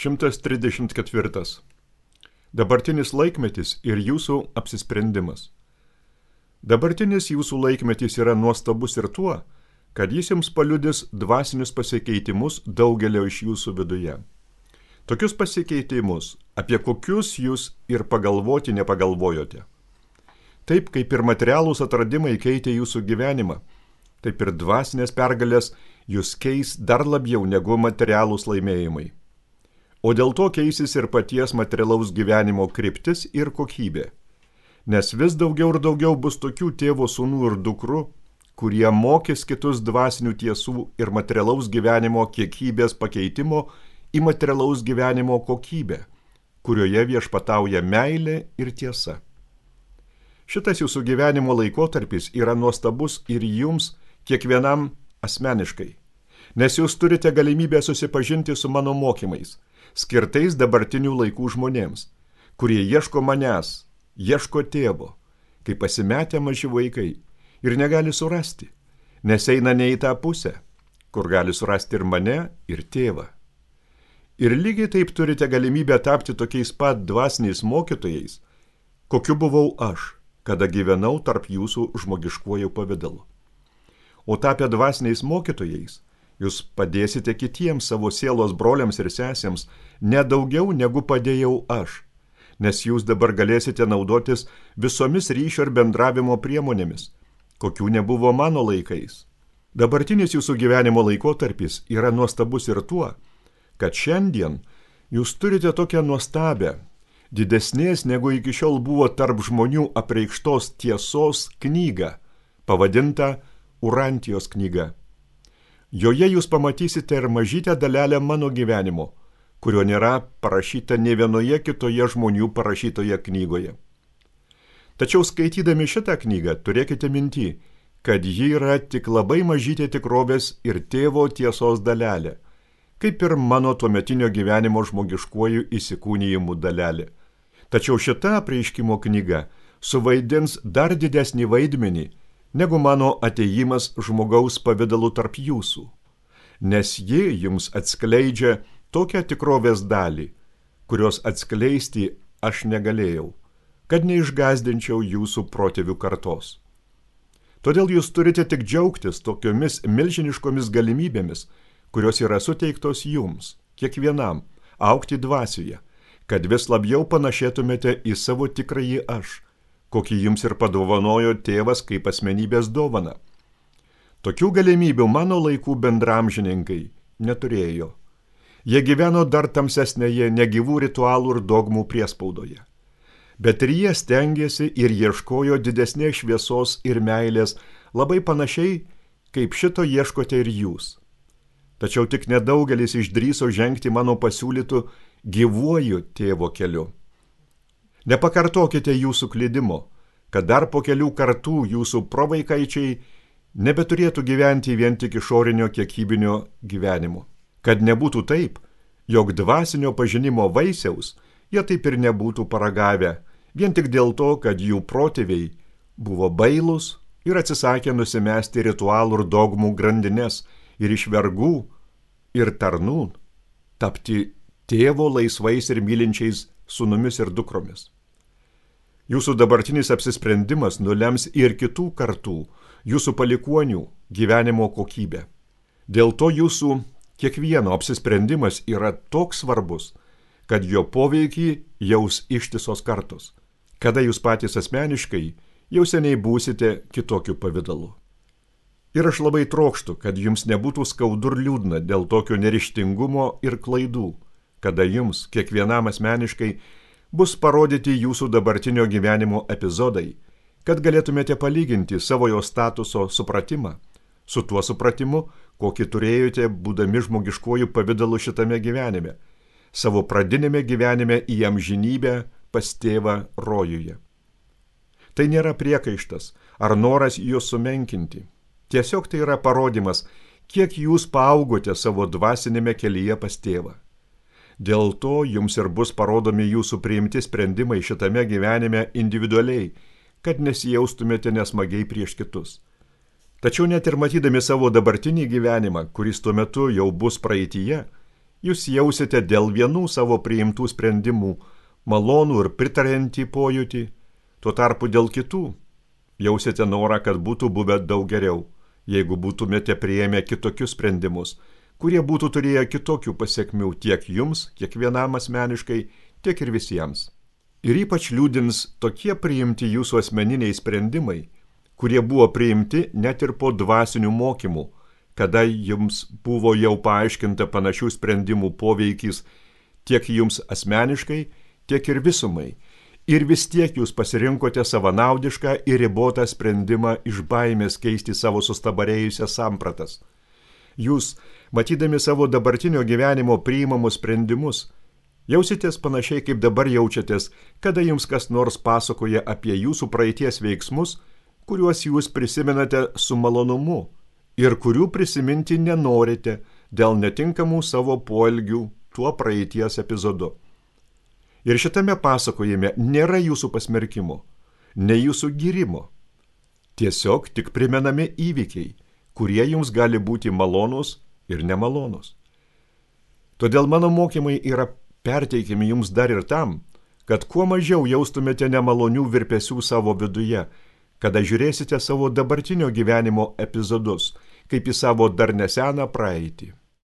134. Dabartinis laikmetis ir jūsų apsisprendimas. Dabartinis jūsų laikmetis yra nuostabus ir tuo, kad jis jums paliudys dvasinius pasikeitimus daugelio iš jūsų viduje. Tokius pasikeitimus, apie kokius jūs ir pagalvoti nepagalvojote. Taip kaip ir materialūs atradimai keitė jūsų gyvenimą, taip ir dvasinės pergalės jūs keis dar labiau negu materialūs laimėjimai. O dėl to keisis ir paties materialaus gyvenimo kryptis ir kokybė. Nes vis daugiau ir daugiau bus tokių tėvo sūnų ir dukrų, kurie mokys kitus dvasinių tiesų ir materialaus gyvenimo kiekybės pakeitimo į materialaus gyvenimo kokybę, kurioje viešpatauja meilė ir tiesa. Šitas jūsų gyvenimo laikotarpis yra nuostabus ir jums kiekvienam asmeniškai, nes jūs turite galimybę susipažinti su mano mokymais, skirtais dabartinių laikų žmonėms, kurie ieško manęs, ieško tėvo, kai pasimetę maži vaikai ir negali surasti, nes eina ne į tą pusę, kur gali surasti ir mane, ir tėvą. Ir lygiai taip turite galimybę tapti tokiais pat dvasiniais mokytojais, kokiu buvau aš, kada gyvenau tarp jūsų žmogiškuoju pavidalu. O tapę dvasiniais mokytojais, jūs padėsite kitiems savo sielos broliams ir sesėms ne daugiau negu padėjau aš, nes jūs dabar galėsite naudotis visomis ryšio ir bendravimo priemonėmis, kokių nebuvo mano laikais. Dabartinis jūsų gyvenimo laikotarpis yra nuostabus ir tuo, kad šiandien jūs turite tokią nuostabę, didesnės negu iki šiol buvo tarp žmonių apreikštos tiesos knygą, pavadintą Urantijos knyga. Joje jūs pamatysite ir mažytę dalelę mano gyvenimo, kurio nėra parašyta ne vienoje kitoje žmonių parašytoje knygoje. Tačiau skaitydami šitą knygą turėkite minty, kad ji yra tik labai mažytė tikrovės ir tėvo tiesos dalelė, kaip ir mano tuometinio gyvenimo žmogiškuoju įsikūnijimu dalelė. Tačiau šita apreiškimo knyga suvaidins dar didesnį vaidmenį, negu mano atėjimas žmogaus pavidalu tarp jūsų, nes ji jums atskleidžia tokią tikrovės dalį, kurios atskleisti aš negalėjau, kad neišgazdinčiau jūsų protėvių kartos. Todėl jūs turite tik džiaugtis tokiomis milžiniškomis galimybėmis, kurios yra suteiktos jums, kiekvienam, augti dvasioje, kad vis labiau panašėtumėte į savo tikrąjį aš, kokį jums ir padovanojo tėvas kaip asmenybės dovana. Tokių galimybių mano laikų bendramžininkai neturėjo. Jie gyveno dar tamsesnėje negyvų ritualų ir dogmų priespaudoje. Bet ir jie stengėsi ir ieškojo didesnės šviesos ir meilės labai panašiai, kaip šito ieškote ir jūs. Tačiau tik nedaugelis išdrįso žengti mano pasiūlytų gyvuoju tėvo keliu. Nepakartokite jūsų klydimo, kad dar po kelių kartų jūsų provaikaičiai nebeturėtų gyventi vien tik išorinio kiekybinio gyvenimo. Kad nebūtų taip, jog dvasinio pažinimo vaisiaus jie taip ir nebūtų paragavę, vien tik dėl to, kad jų protėviai buvo bailūs ir atsisakė nusimesti ritualų ir dogmų grandines ir iš vergų ir tarnų tapti tėvo laisvais ir mylinčiais sūnumis ir dukromis. Jūsų dabartinis apsisprendimas nulems ir kitų kartų, jūsų palikuonių gyvenimo kokybę. Dėl to jūsų kiekvieno apsisprendimas yra toks svarbus, kad jo poveikį jaus ištisos kartos, kada jūs patys asmeniškai jau seniai būsite kitokiu pavidalu. Ir aš labai trokštu, kad jums nebūtų skaudu ir liūdna dėl tokio neryžtingumo ir klaidų, kada jums kiekvienam asmeniškai bus parodyti jūsų dabartinio gyvenimo epizodai, kad galėtumėte palyginti savo jo statuso supratimą su tuo supratimu, kokį turėjote būdami žmogiškuoju pavidalu šitame gyvenime, savo pradinėme gyvenime į amžinybę pas tėvą rojuje. Tai nėra priekaištas ar noras juos sumenkinti. Tiesiog tai yra parodymas, kiek jūs paaugote savo dvasinėme kelyje pas tėvą. Dėl to jums ir bus parodomi jūsų priimti sprendimai šitame gyvenime individualiai, kad nesijaustumėte nesmagiai prieš kitus. Tačiau net ir matydami savo dabartinį gyvenimą, kuris tuo metu jau bus praeityje, Jūs jausite dėl vienų savo priimtų sprendimų malonų ir pritariantį pojūtį, tuo tarpu dėl kitų jausite norą, kad būtų buvę daug geriau, jeigu būtumėte priėmę kitokius sprendimus, kurie būtų turėję kitokių pasekmių tiek jums, kiekvienam asmeniškai, tiek ir visiems. Ir ypač liūdins tokie priimti jūsų asmeniniai sprendimai, kurie buvo priimti net ir po dvasinių mokymų, kada jums buvo jau paaiškinta panašių sprendimų poveikis tiek jums asmeniškai, tiek ir visumai. Ir vis tiek jūs pasirinkote savanaudišką ir ribotą sprendimą iš baimės keisti savo sustabarėjusias sampratas. Jūs, matydami savo dabartinio gyvenimo priimamus sprendimus, jausitės panašiai kaip dabar jaučiatės, kada jums kas nors pasakoja apie jūsų praeities veiksmus, kuriuos jūs prisimenate su malonumu ir kurių prisiminti nenorite dėl netinkamų savo poelgių tuo praeities epizodu. Ir šitame pasakojime nėra jūsų pasmerkimo, ne jūsų gyrimo. Tiesiog tik primenami įvykiai, kurie jums gali būti malonūs ir nemalonūs. Todėl mano mokymai yra perteikiami jums dar ir tam, kad kuo mažiau jaustumėte nemalonių virpesių savo viduje, kada žiūrėsite savo dabartinio gyvenimo epizodus, kaip į savo dar neseną praeitį.